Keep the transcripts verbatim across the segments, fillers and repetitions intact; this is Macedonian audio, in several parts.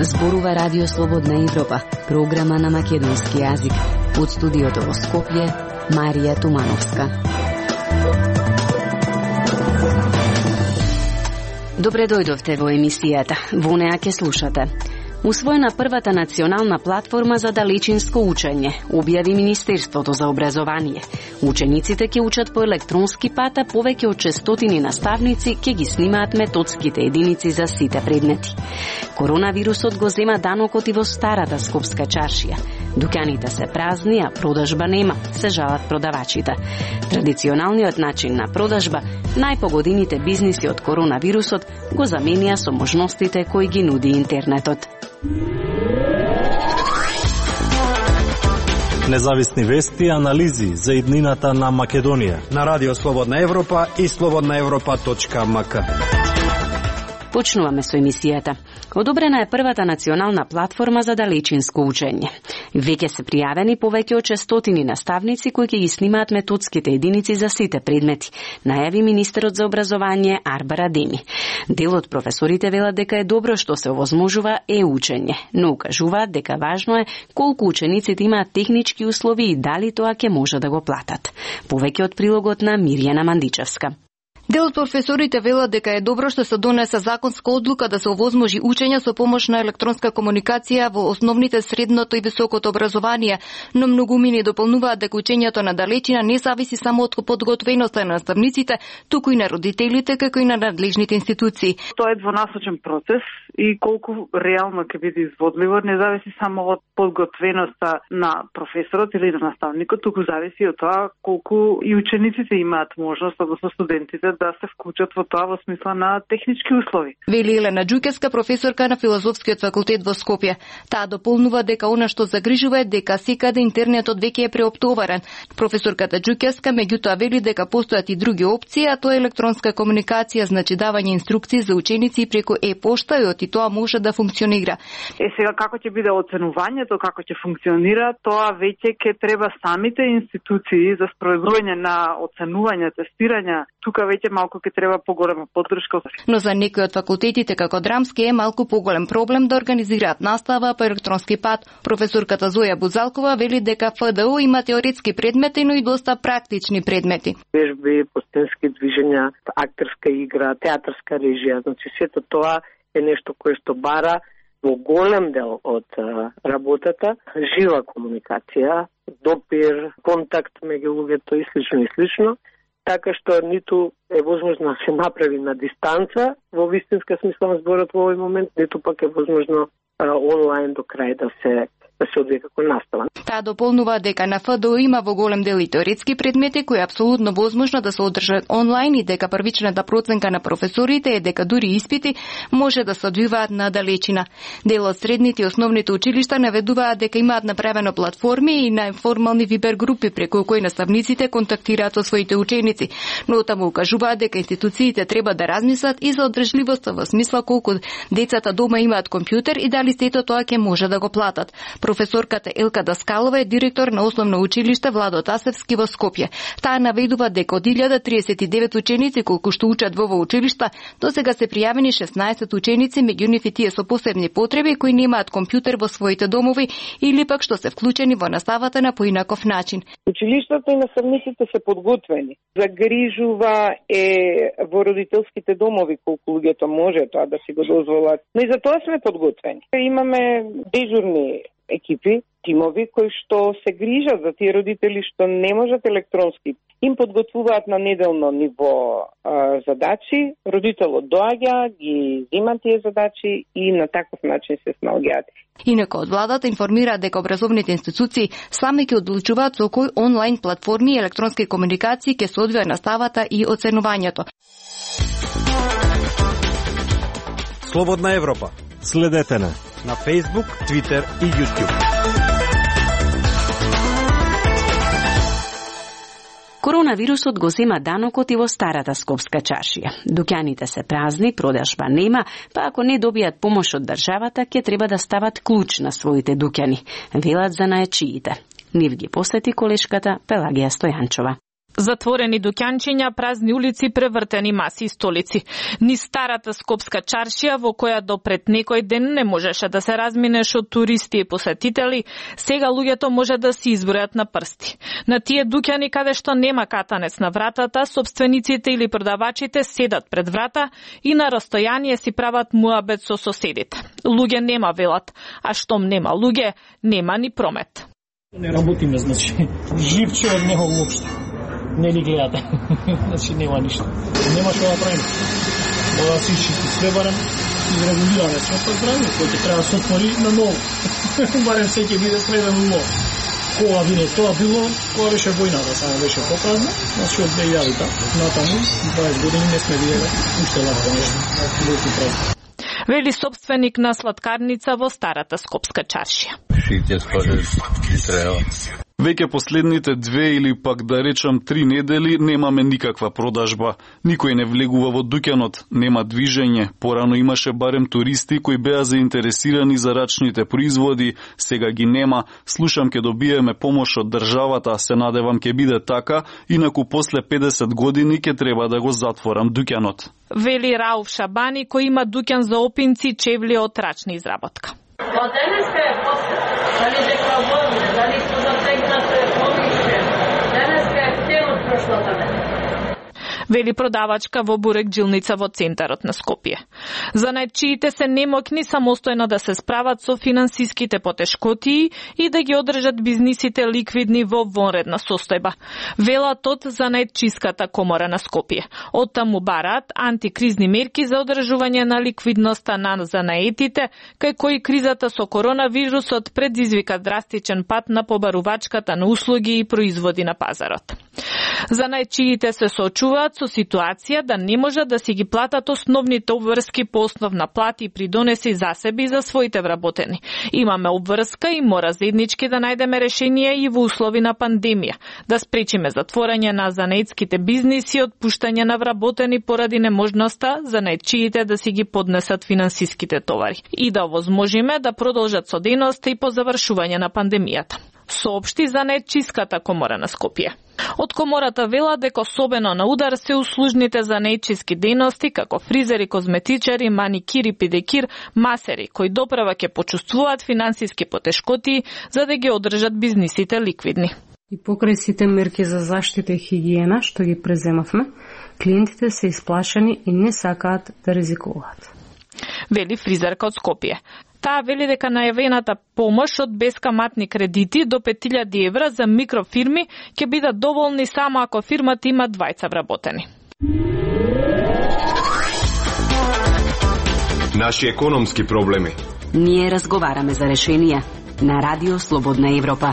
Зборува Радио Слободна Европа, програма на македонски јазик. Од студиото во Скопје, Марија Тумановска. Добре дојдовте во емисијата. Во неа ќе слушате. Усвоена првата национална платформа за далечинско учење, објави Министерството за образование. Учениците ќе учат по електронски пат, а повеќе од шестстотини наставници ќе ги снимаат методските единици за сите предмети. Коронавирусот го зема данокот и во старата скопска чаршија. Дуќаните се празни, а продажба нема, се жалат продавачите. Традиционалниот начин на продажба, најпогодените бизниси од коронавирусот, го заменија со можностите кои ги нуди интернетот. Независни вести и анализи за иднината на Македонија на Радио Слободна Европа и слободна европа точка ем ка. Почнуваме со емисијата. Одобрена е првата национална платформа за далечинско учење. Веќе се пријавени повеќе од шестстотини наставници кои ќе ги снимаат методските единици за сите предмети, најави министерот за образование Арбар Адеми. Дел од професорите велат дека е добро што се овозможува е-учење, но укажуваат дека важно е колку учениците имаат технички услови и дали тоа ќе може да го платат. Повеќе од прилогот на Мирјана Мандичевска. Дел од професорите велат дека е добро што се донесе законска одлука да се овозможи учење со помош на електронска комуникација во основните, средното и високото образование, но многумини дополнуваат дека учењето на далечина не зависи само од подготвеноста на наставниците, туку и на родителите, како и на надлежните институции. Тоа е двонасочен процес и колку реално ќе биде изводливо не зависи само од подготвеноста на професорот или на наставникот, туку зависи од тоа колку и учениците имаат можност, односно студентите, да се вклучат во тоа во смисла на технички услови. Вели Елена Ѓукевска, професорка на Филозофскиот факултет во Скопје. Таа дополнува дека она што загрижува е дека секаде интернетот веќе е преоптоварен. Професорката Ѓукевска меѓутоа вели дека постојат и други опции, а тоа е електронска комуникација, значи давање инструкции за ученици преку е-пошта и и тоа може да функционира. Е сега како ќе биде оценувањето, како ќе функционира, тоа веќе ќе треба самите институции за спроведување на оценување, тестирање. Тука веќе малку ќе треба поголема поддршка. Но за некои од факултетите како Драмски е малку поголем проблем да организираат настава по електронски пат. Професорката Зоја Бузалкова вели дека Ф Д У има теоретски предмети, но и доста практични предмети. Вежби, постенски движења, актерска игра, театарска режија, значи сето тоа е нешто кое што бара во голем дел од работата жива комуникација, допир, контакт меѓу луѓето и слично и слично, така што ниту е возможно да се направи на дистанца во вистинска смисла на зборот во овој момент, ниту пак е возможно онлайн до крај да се да се одвие како настава. Таа дополнува дека на Ф Д У има во голем дел и теоретски предмети кои е апсолутно возможно да се одржат онлайн и дека првичната проценка на професорите е дека дури испити може да се одвиваат на далечина. Дел од средните и основните училишта наведуваат дека имаат направено платформи и неформални вибер групи преку кои наставниците контактираат со своите ученици, но таму укажуваат дека институциите треба да размислат и за одржливоста во смисла колку децата дома имаат компјутер и дали сето тоа ќе може да го платат. Професорката Елка Даскалова е директор на основно училиште Владо Тасевски во Скопје. Таа наведува дека од илјада триесет и девет ученици колку што учат во ова училишта, досега се пријавени шеснаесет ученици, меѓу нив и тие со посебни потреби кои немаат компјутер во своите домови или пак што се вклучени во наставата на поинаков начин. Училиштата и наставниците се подготвени. Загрижува е во родителските домови колку луѓето може тоа да си го дозволат. Но и за тоа сме подготвени. Имаме дежурни екипи, тимови кои што се грижат за тие родители што не можат електронски. Им подготвуваат на неделно ниво а, задачи, родителот доаѓа, ги зема тие задачи и на таков начин се снаоѓаат. Инаку од владата информираат дека образовните институции сами ќе одлучуваат со кои онлайн платформи и електронски комуникации ќе се одвија наставата и оценувањето. Слободна Европа. Следете на на Facebook, Twitter и YouTube. Коронавирусот го зема данокот и во старата скопска чаршија. Дуќаните се празни, продажба нема, па ако не добијат помош од државата, ќе треба да стават клуч на своите дуќани, велат занаечиите. Нив ги посети колешката Пелагија Стојанчова. Затворени дуќанчиња, празни улици, превртени маси и столици. Ни старата скопска чаршија, во која до пред некој ден не можеше да се разминеш од туристи и посетители, сега луѓето може да си избројат на прсти. На тие дуќани каде што нема катанец на вратата, собствениците или продавачите седат пред врата и на растојание си прават муабет со соседите. Луѓе нема, велат, а штом нема луѓе, нема ни промет. Не работиме, значи, живче од него уопште. Не ни гледате. Значи, нема ништо. Нема што да правим. Мора да се изчисти све, барем изрегулираме све по здравје, кој ќе треба да се отвори на ново. Барем се ќе биде среден улов. Кога биде тоа било, кога беше војната, само беше попразна, значи од две илјади натаму, дваесет години не сме видели уште лако нешто. Велики празник. Вели собственик на сладкарница во старата скопска чаршија. Шите скоро ги треба. Веќе последните две или пак да речам три недели немаме никаква продажба. Никој не влегува во дуќанот, нема движење. Порано имаше барем туристи кои беа заинтересирани за рачните производи, сега ги нема. Слушам ке добиеме помош од државата, се надевам ке биде така, инаку после педесет години ке треба да го затворам дуќанот. Вели Рауф Шабани, кој има дуќан за опинци, чевли од рачна изработка. Па денеска е после, дали дека војне, дали што затегнате помише, денеска е цело прошлата неделя. Вели продавачка во бурек джилница во центарот на Скопје. Занајдчиите се немокни самостојно да се справат со финансиските потешкотии и да ги одржат бизнисите ликвидни во вонредна состојба. Велат од Занајдчиската комора на Скопје. Од таму бараат антикризни мерки за одржување на ликвидноста на занаетите, кај кои кризата со коронавирусот предизвика драстичен пат на побарувачката на услуги и производи на пазарот. Занајдчиите се соочуваат со ситуација да не можат да си ги платат основните обврски по основна плати и придонеси за себе и за своите вработени. Имаме обврска и мора заеднички да најдеме решение и во услови на пандемија, да спречиме затворање на занаетските бизниси и отпуштање на вработени поради неможноста занаетчиите да си ги поднесат финансиските товари и да овозможиме да продолжат со дејноста и по завршување на пандемијата, соопшти Занаетчиската комора на Скопје. Од комората вела дека особено на удар се услужните занаетчиски дејности како фризери, козметичари, маникири, педикир, масери, кои допрева ќе почувствуваат финансиски потешкоти за да ги одржат бизнисите ликвидни. И покрај сите мерки за заштита и хигиена што ги преземавме, клиентите се исплашени и не сакаат да ризикуваат. Вели фризерка од Скопје. Таа вели дека најавената помош од бескаматни кредити до пет илјади евра за микрофирми ќе бидат доволни само ако фирмата има двајца вработени. Наши економски проблеми. Ние разговараме за решенија на Радио Слободна Европа.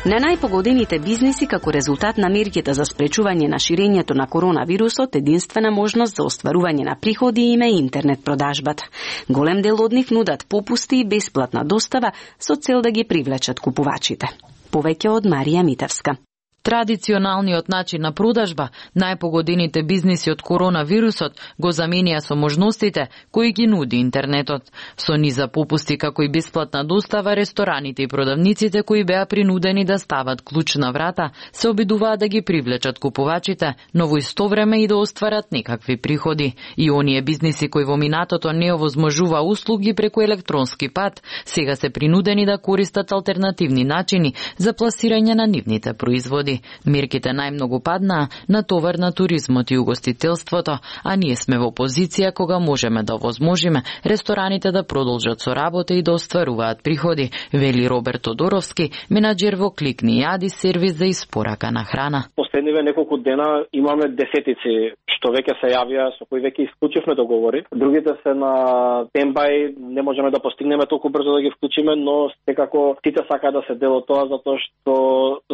На најпогодените бизниси како резултат на мерките за спречување на ширењето на коронавирусот, единствена можност за остварување на приходи им е интернет продажбата. Голем дел од нив нудат попусти и бесплатна достава со цел да ги привлечат купувачите. Повеќе од Марија Митевска. Традиционалниот начин на продажба, најпогодените бизниси од коронавирусот го заменија со можностите кои ги нуди интернетот. Со низа попусти како и бесплатна достава, рестораните и продавниците кои беа принудени да стават клуч на врата, се обидуваат да ги привлечат купувачите, но во исто време и да остварат некакви приходи. И оние бизниси кои во минатото не овозможува услуги преку електронски пат, сега се принудени да користат алтернативни начини за пласирање на нивните производи. Мерките најмногу паднаа на товар на туризмот и угостителството, а ние сме во позиција кога можеме да овозможиме рестораните да продолжат со работа и да остваруваат приходи, вели Роберт Тодоровски, менаџер во Кликни Јади, сервис за испорака на храна. Последниве неколку дена имаме десетици што веќе се јавија, со кои веќе исклучивме договори. Другите се на тембај, не можеме да постигнеме толку брзо да ги вклучиме, но секако сите сакаат да се дел од тоа, затоа што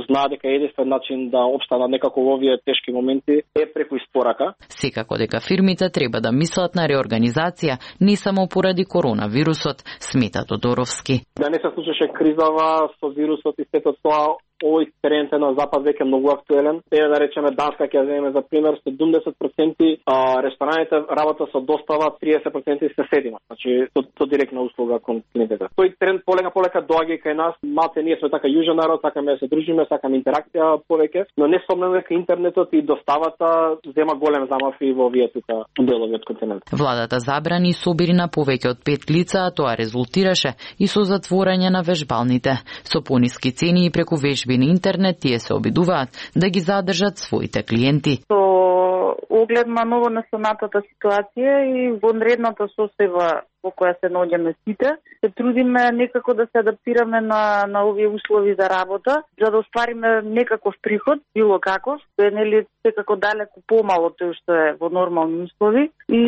знаат дека единствен начин да обстанат некако во овие тешки моменти е преку испорака. Секако дека фирмите треба да мислат на реорганизација, не само поради коронавирусот, смета Тодоровски. Да не се случеше кризава со вирусот и сето тоа, овој тренд на запад веќе многу актуелен. Еве да речеме Данска ќе земеме за пример, седумдесет проценти а, рестораните работа со достава, триесет проценти се седима. Значи то, то директна услуга кон клиентите. Тој тренд полека полека доаѓа и кај нас. Малце ние сме така јужен народ, сакаме да се дружиме, сакаме интеракција повеќе, но не сомнено дека интернетот и доставата зема голем замав и во овие тука делови од континентот. Владата забрани собири на повеќе од пет лица, а тоа резултираше и со затворање на вежбалните. Со пониски цени и преку вежби на интернет тие се обидуваат да ги задржат своите клиенти. Со оглед на ново настанатата ситуација и вонредната состојба во која се наоѓаме сите, се трудиме некако да се адаптираме на на овие услови за работа, за да оствариме некаков приход, било каков, тој е нели секако далеку помало од тоа што е во нормални услови, и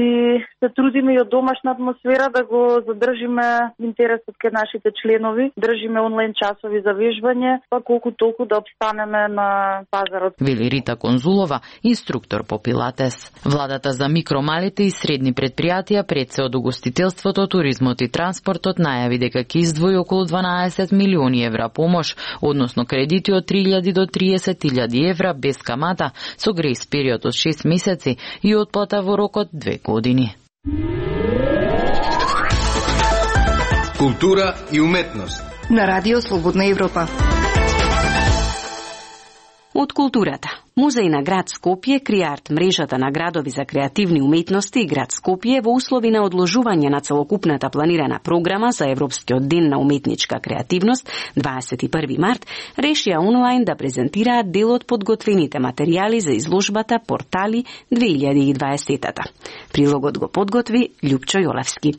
се трудиме и од домашна атмосфера да го задржиме интересот кај нашите членови, држиме онлайн часови за вежбање, па колку толку да обстанеме на пазарот. Вели Рита Конзулова, инструктор по пилатес. Владата за микро, малите и средни предпријатија пред се од угостителството, туризмот и транспортот најави дека ќе издвои околу дванаесет милиони евра помош, односно кредити од три илјади до триесет илјади евра без камата, со грејс период од шест месеци и отплата во рок од две години. Култура и уметност на Радио Слободна Европа. Од културата. Музеј на град Скопје, Криарт, мрежата на градови за креативни уметности и град Скопје во услови на одложување на целокупната планирана програма за Европскиот ден на уметничка креативност дваесет и први март, решија онлайн да презентираат дел од подготвените материјали за изложбата Портали две илјади и дваесета. Прилогот го подготви Љупчо Јолевски.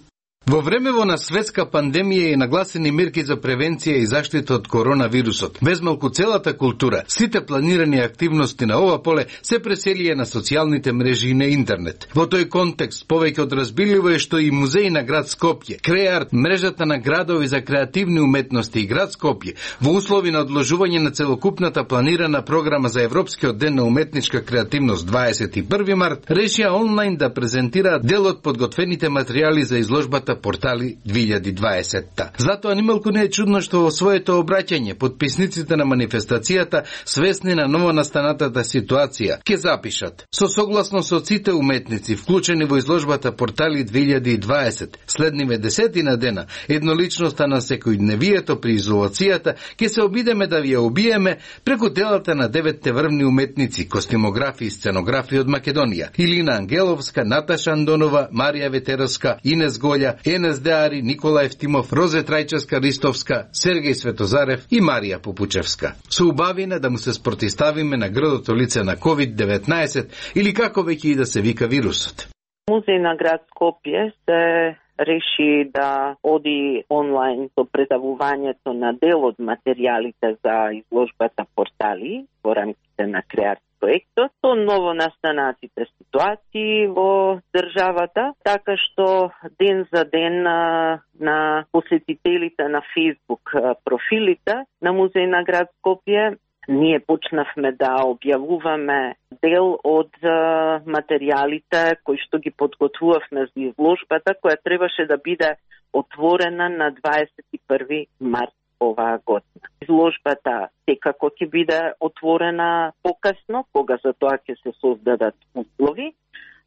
Во времево на светска пандемија и нагласени мерки за превенција и заштита од коронавирусот, без малку целата култура, сите планирани активности на ова поле се преселија на социјалните мрежи и на интернет. Во тој контекст, повеќе од разбирливо е што и Музеј на град Скопје, Креарт, мрежата на градови за креативни уметности и град Скопје, во услови на одложување на целокупната планирана програма за Европскиот ден на уметничка креативност дваесет и први март, решија онлайн да презентираат дел од подготвените материјали за изложбата Портали две илјади и дваесета. Затоа nimалку не е чудно што во своето обраќање подписниците на манифестацијата, свесни на новонастанатата ситуација, ќе запишат: со согласно со сите уметници вклучени во изложбата Портали две илјади и дваесет, следниве десетина дена, едноличноста на секојдневието при изолацијата, ќе се обидеме да ви ја убиеме преку делата на деветте врвни уметници, костимографи и сценографи од Македонија: Илина Ангеловска, Наташа Андонова, Марија Ветеровска, Инес Голја, Енес Деари, Никола Евтимов, Розе Трајчевска-Ристовска, Сергеј Светозарев и Марија Попучевска. Со убавина да му се спротиставиме на грдото лице на ковид деветнаесет или како веќе и да се вика вирусот. Музеј на град Скопје се реши да оди онлайн со предавувањето на дел од материјалите за изложбата Портали во рамките на Креарт проектот, со новонастанатите ситуации во државата, така што ден за ден на, на посетителите на Facebook профилите на Музеј на град Скопје ние почнавме да објавуваме дел од материјалите кои што ги подготвувавме за изложбата, која требаше да биде отворена на дваесет и први март оваа година. Изложбата секако ќе биде отворена покасно, кога за тоа ќе се создадат услови.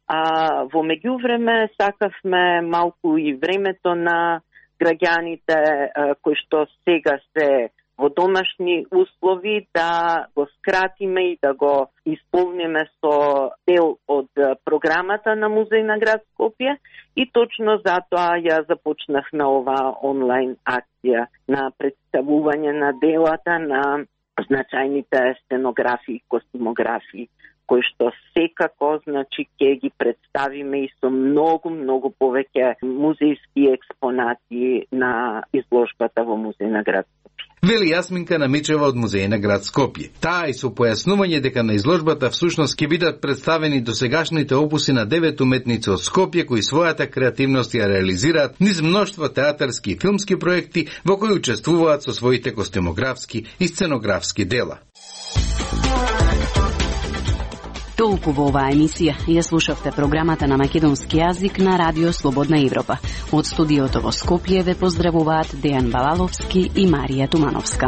А во меѓувреме сакавме малку и времето на граѓаните кои што сега се во домашни услови да го скратиме и да го исполниме со дел од програмата на Музеј на град Скопје, и точно затоа ја започнавме оваа онлайн акција на представување на делата на значајните сценографии и костимографии, кои што секако, значи, ќе ги представиме и со многу, многу повеќе музејски експонати на изложбата во Музеј на град Скопје. Вели Јасминка Намичева од Музеј на град Скопје. Таа и со појаснување дека на изложбата всушност ќе бидат представени досегашните опуси на девет уметници од Скопје кои својата креативност ја реализираат низ мноштво театарски и филмски проекти во кои учествуваат со своите костимографски и сценографски дела. Толку во оваа емисија. Ја слушавте програмата на македонски јазик на Радио Слободна Европа. Од студиото во Скопје ве поздравуваат Дејан Балаловски и Марија Тумановска.